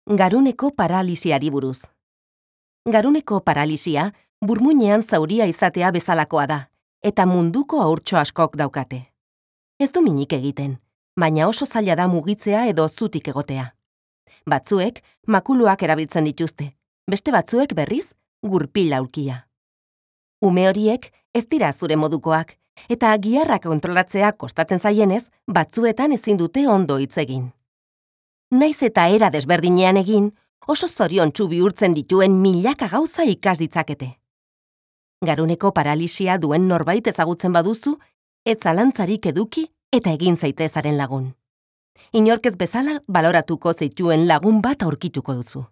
Garuneko paralisiari buruz. Garuneko paralisia burmuinean zauria izatea bezalakoa da, eta munduko haurtxo askok daukate. Ez du minik egiten, baina oso zaila da mugitzea edo zutik egotea. Batzuek makuluak erabiltzen dituzte, beste batzuek berriz gurpil aulkia. Ume horiek ez dira zure modukoak, eta giharrak kontrolatzea kostatzen zaienez, batzuetan ezin dute ondo hitz egin. Naiz eta era desberdinean egin, oso zoriontsu bihurtzen dituen milaka gauza ikas ditzakete. Garuneko paralisia duen norbait ezagutzen baduzu, ez zalantzarik eduki eta egin zaitezaren lagun. Inork ez bezala baloratuko zaituen lagun bat aurkituko duzu.